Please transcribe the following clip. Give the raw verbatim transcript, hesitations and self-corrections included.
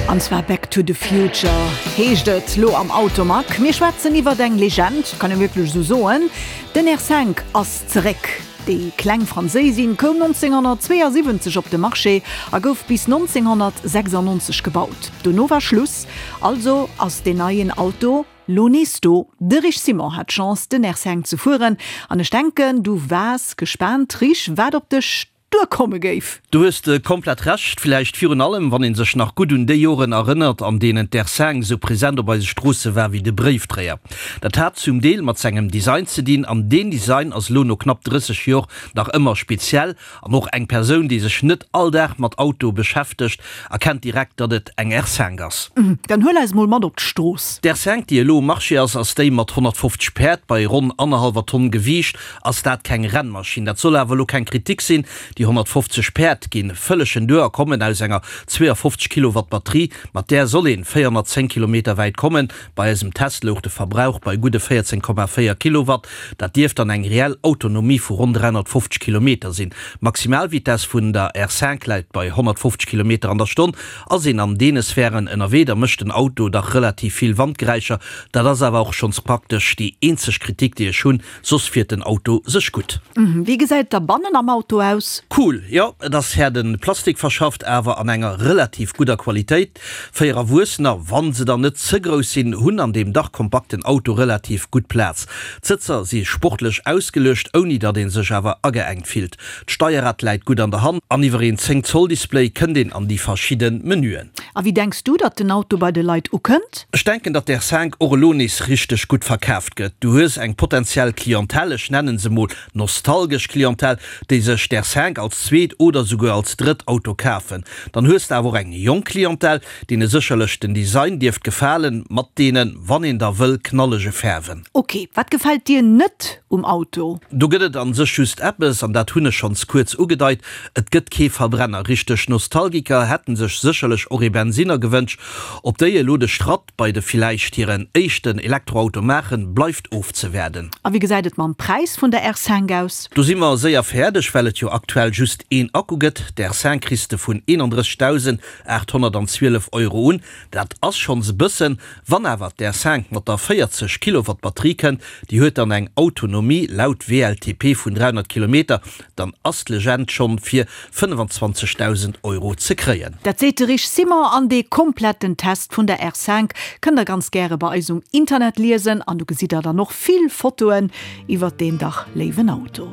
An zwar Back to the Future heescht et lo am Automag. Mir schwätzen iwwer eng Legend, kann ee wierklech sou soen. Den R fënnef ass zeréck. Déi kleng Franséisin koum nonzénghonnertzweeasiwwenzeg op de Marché a gouf bis nonzénghonnertsechsannonzeg gebaut. Dono war Schluss, also ass den neien Auto lo nees do. De Rich Simon hat d'Chance, den R fënnef ze fueren an ech denken, du waars gespaant, Rich, wat op dech duerkomme géif. Du hues äh, komplett Recht, villäicht virun allem, wann een sech nach gutt un déi Joren erënnert, an deenen d'R fënnef sou present op eise Stroosse war wéi de Bréifdréier. Dat hat zum Deel mat sengem Design ze dinn, an deen Design ass lo no knapp drësseg Joer nach ëmmer speziell an och eng Persoun, déi sech net all Dag mat Autoe beschäftegt, erkennt direkt, datt et eng R fënnef ass. Mhm, dann huel eis mol mat op d'Strooss. D'R fënnef, déi elo um Marché ass, ass déi mat honnertfofzeg Päerd bei ronn annerhallwer Tonn Gewiicht, ass dat keng Rennmaschinn. Dat soll awer elo keng Kritik sinn. Déi honnertfofzeg Päerd ginn vëllegen duer a kommen aus enger zweeafofzeg Kilowatt Batterie. Mat där soll een véierhonnertzéng Kilometer wäit kommen. Bei eisem Test louch de Verbrauch bei gudde véierzéng Komma véier Kilowatt. Dat dierft dann eng reell Autonomie vu ronn dräihonnertfofzeg Kilometer sinn. D'Maximalvitess vun der R fënnef läit bei honnertfofzeg Kilometer an der Stonn. Ass een an deene Sphären ënnerwee, da mécht den Auto dach relativ vill Wandgeräischer. Dat ass awer och schonns praktesch déi eenzeg Kritik, déi ech hunn. Soss fiert den Auto sech gutt. Wéi gesäit et da bannen am Auto aus? Cool, jo, et ass haarde Plastik verschafft, awer an enger relativ gudder Qualitéit. Véier Erwuessener, wann se dann net ze grouss sinn, hunn an deem dach kompakten Auto relativ gutt Plaz. D'Sëtzer si sportlech ausgeluecht, ouni datt ee sech awer ageengt fillt. D'Steierrad läit gutt an der Hand an iwwer een zéng Zoll Display kënnt een an déi verschidde Menüen. A wéi denks du, datt den Auto bei de Leit ukënnt? Ech denken, datt d'R fënnef och elo nees richteg gutt verkaaft gëtt. Du hues eng potentiell Clientèle, ech nennen se mol nostalgesch Clientèle, déi sech d'R fënnef als zweet oder souguer als drëtt Auto kafen. Dann hues de awer och eng jonk Clientèle, deene sécherlech den Design dierft gefalen, mat deenen, wann een da wëll, knallege Faarwen. Ok, wat gefält dir net um Auto? Do gëtt et an sech just eppes, an dat hunn ech schonns kuerz ugedeit, Et gëtt kee Verbrenner. Richteg Nostalgiker hätten sech sécherlech och ee Bensinner gewënscht. Ob déi elo de Schratt bei de villäicht hiren éischten Elektroauto maachen, bleift ofzewaarden. A wéi gesäit et mam Präis vun der R fënnef aus? Do si mer séier fäerdeg, well et jo aktuell just een Akku gëtt. D'R fënnef kriss de vun eenandrëssigdausendaathonnertanzwielef Euro un. Dat ass schonns e bëssen. Wann awer d'R fënnef mat der véierzeg Kilowatt Batterie kënnt, déi huet dann eng Autonomie laut W L T P vun dräihonnert Kilometer, dann ass d'Legend schonn fir fënnefenzwanzegdausend Euro ze kréien. Dat seet de Rich Simon an dee kompletten Test vun der R fënnef kënnt der ganz gäre bei eis um Internet liesen an do gesitt der dann och vill Fotoen iwwert deen dach léiwen Auto.